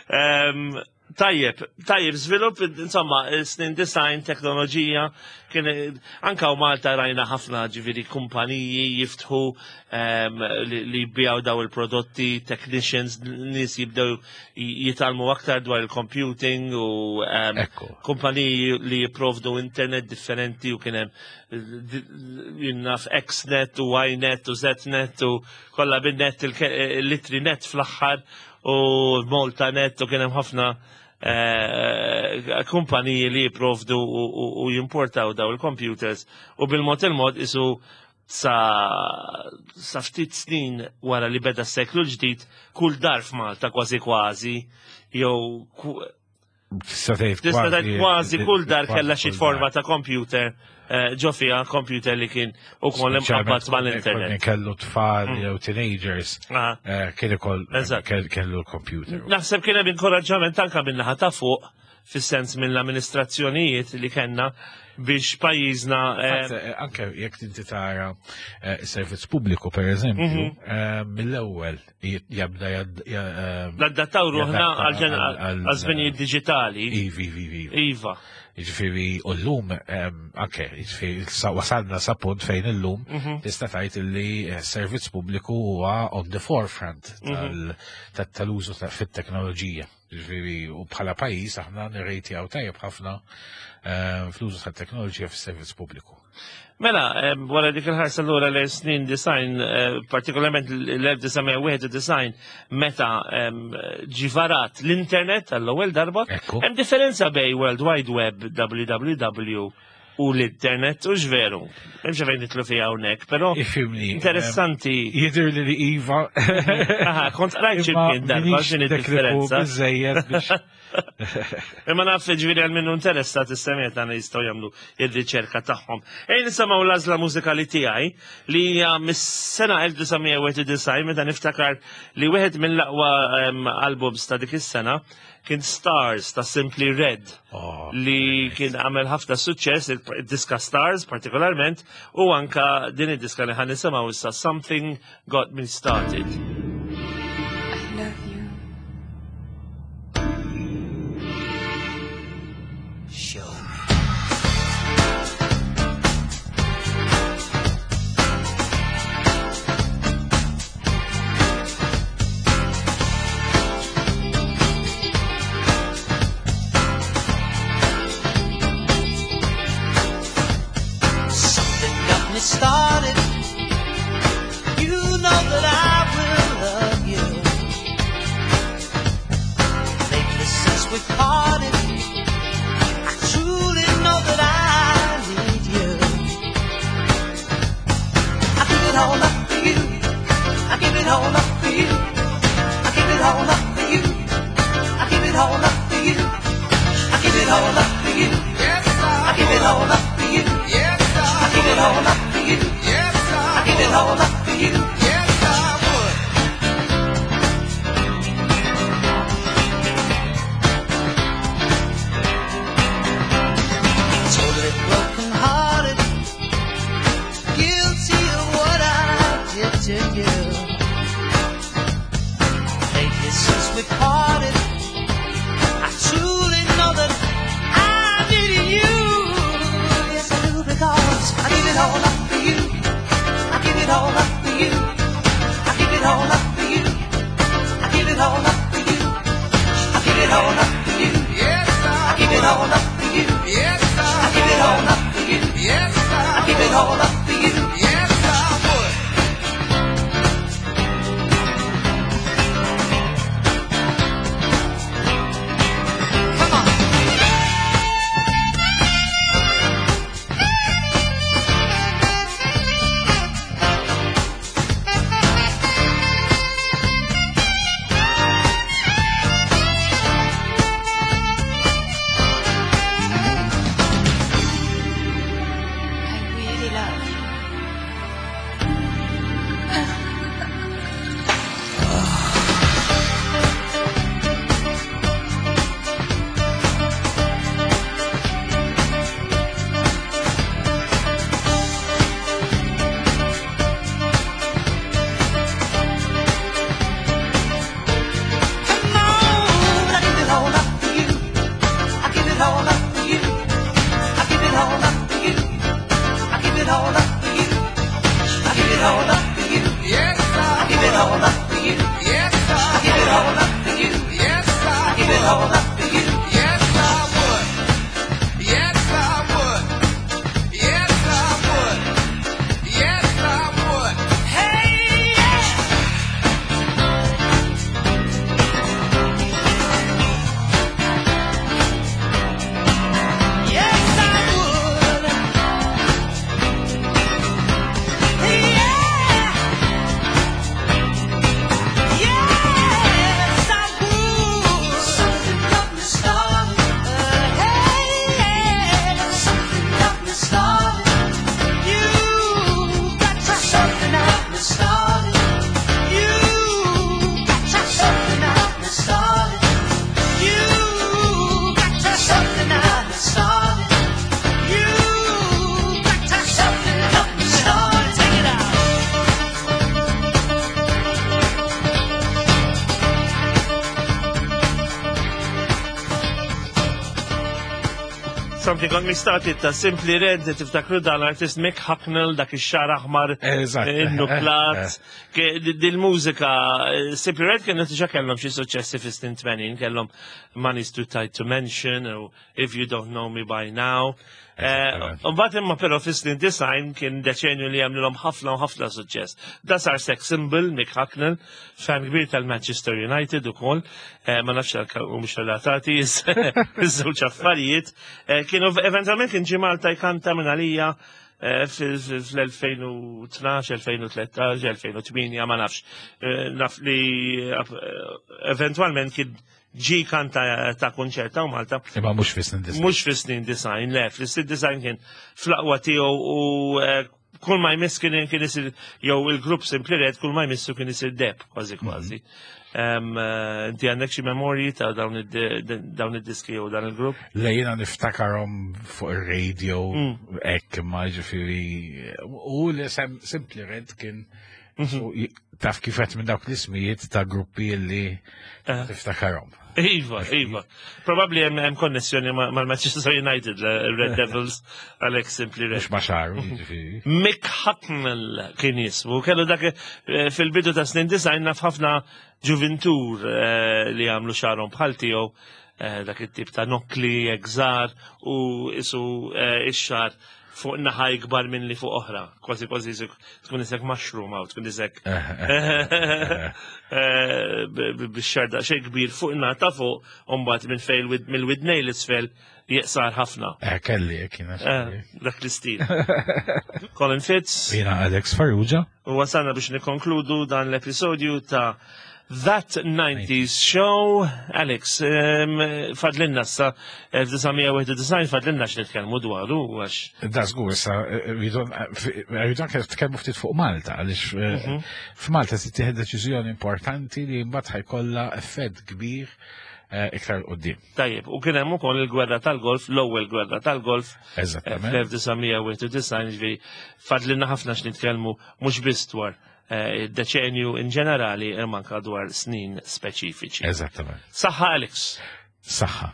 Ehm, Tajjeb, tajjeb, żvilupp, insomma, snin design, teknoloġija, kien anka u Malta rajna ħafna ġifieri kumpaniji jiftħu um, li, li jbijaw daw il-prodotti, technicians, nies jibdew jitalmu aktar dwar il-computing u um, kumpaniji li jipprovdu internet differenti u kien hemm jinnaf Xnet u Ynet u Znet u kollha bin-net il-litri net fl-aħħar u Malta Net u kien hemm ħafna eh, kumpaniji li jipprovdu u jimportaw daw il-computers u bil-mod il-mod isu sa, sa ftit snin wara li beda s-seklu l-ġdid kull dar f'Malta kważi kważi jew Tista' tgħid kważi kull dar kellha xi forma ta' computer. eh, ġo fiha computer li kien ukoll imqabbad mal-internet. Kellu tfal mm. jew teenagers, eh, kien ikoll kellu l-computer. Naħseb kien hemm inkoraġġament anke min-naħa ta' fuq fis-sens mill-amministrazzjonijiet li kellna biex pajjiżna. Eh, eh, anke jekk inti tara eh, servizz pubbliku per eżempju, mhm. mill-ewwel jabda Nadattaw ruħna għal żminijiet diġitali. Ivi, ivi, ivi. Iva. Jiġifieri u llum anke jiġifieri wasalna sa punt fejn illum mhm. tista' tgħid li servizz pubbliku huwa on the forefront mhm. tal-użu fit-teknoloġija. Ġifieri, u bħala pajjiż aħna nirrejtjaw tajjeb ħafna eh, fl-użu tat-teknoloġija fis-servizz pubbliku. Mela, eh, wara dik il-ħarsa lura l snin design, eh, partikolarment l-1991, meta ġivarat l-internet għall-ewwel darba, hemm differenza bej World Wide Web, www, u l-internet u x'veru. Hemm xi fejn nitlu fiha hawnhekk, però Ifhimni. Interessanti. Jidher li li iva. Aha, kont qrajt xi mkien darba x'inhi differenza. Biżejjed biex. Imma naf ġifieri għal minnu interessat is-semiet tagħna jistgħu jagħmlu ir-riċerka tagħhom. Ejn nisimgħu l-għażla mużikali tiegħi li hija mis-sena 1991 meta niftakar li wieħed mill-aqwa albums ta' dik is-sena kien Stars ta' Simply Red oh, li kien għamel ħafna suċċess il-diska Stars partikolarment u anka din id-diska li ħan nisimgħu issa Something Got Me Started. I love you. Show me. Something got me started. You know that I will Something Got Me Started ta' Simply Red, tiftakru dan l-artist Mick Hucknall, dak ix-xar aħmar, in-nuklat. Dil-mużika, Simply Red kienu diġà kellhom xi suċċessi fis-snin 80, kellhom Money's Too Tight to Mention, u If You Don't Know Me By Now. Mbagħad imma però fis-snin design kien deċenju li għamlilhom ħafna u ħafna suċċess. Da sar sex symbol Mick Hucknall, fan kbir tal-Manchester United ukoll, ma nafx għal u mhux relatati iż-żewġ affarijiet. Kienu eventualment kien ġie Malta jkanta minn għalija fl-2012, 2013, 2008, ma nafx. Naf li eventualment kien ġi kanta ta' kunċert ta' Malta. Imma mhux fis-snin design. Mhux fis-snin design, le, fis-snin design kien fl-aqwa tiegħu u eh, kull ma jmiss kien kien isir jew il-grupp Simply Red kull ma jmissu kien isir deb kważi mhm. kważi. Eh, inti għandek xi memorji ta' dawn id-diski jew dan il-grupp? Le jiena niftakarhom fuq ir-radio mm. hekk ma ġifieri u li Simply Red kien Mhm. Taf kif qed minn dawk l-ismijiet ta' gruppi li eh. tiftakarhom. Iva, iva. Probabli hemm konnessjoni mal-Manchester United, Red Devils, għalhekk simpli Red. Mhux ma xaru, jiġifieri. Mick Hucknall kien jismu, kellu dak eh, fil-bidu ta' snin design naf ħafna ġuvintur eh, li għamlu xarhom bħal tiegħu dak it-tip ta' nokli, egżar u isu ix-xar fuq naħa ikbar minn li fuq oħra. Kważi kważi tkun isek mushroom għaw, tkun isek eh, bix-xarda xejn kbir fuq naħa ta' fuq, u mbagħad minn fejn mill-widnej l-isfel jeqsar ħafna. Eh, kelli, kien eh, Dak l-istil. Colin Fitz. Jena Alex Farrugia. U wasalna biex nikkonkludu dan l-episodju ta' That 90s Show. Alex, fadlinna sa 1991 fadlinna x'nitkellmu dwaru għax. Da żgur issa rridu anke nitkellmu ftit fuq Malta għaliex eh, mhm. f'Malta se tieħed deċiżjoni importanti li mbagħad ħajkollha effett kbir eh, iktar qudiem. Tajjeb, u kien hemm ukoll il-gwerra tal-golf, l-ewwel gwerra tal-golf. Eżattament. Fl-1991 ġifieri fadlinna ħafna x'nitkellmu mhux biss dwar eh, deċenju in ġenerali imma anke dwar snin speċifiċi. Eżattament. Saħħa Alex. Saħħa.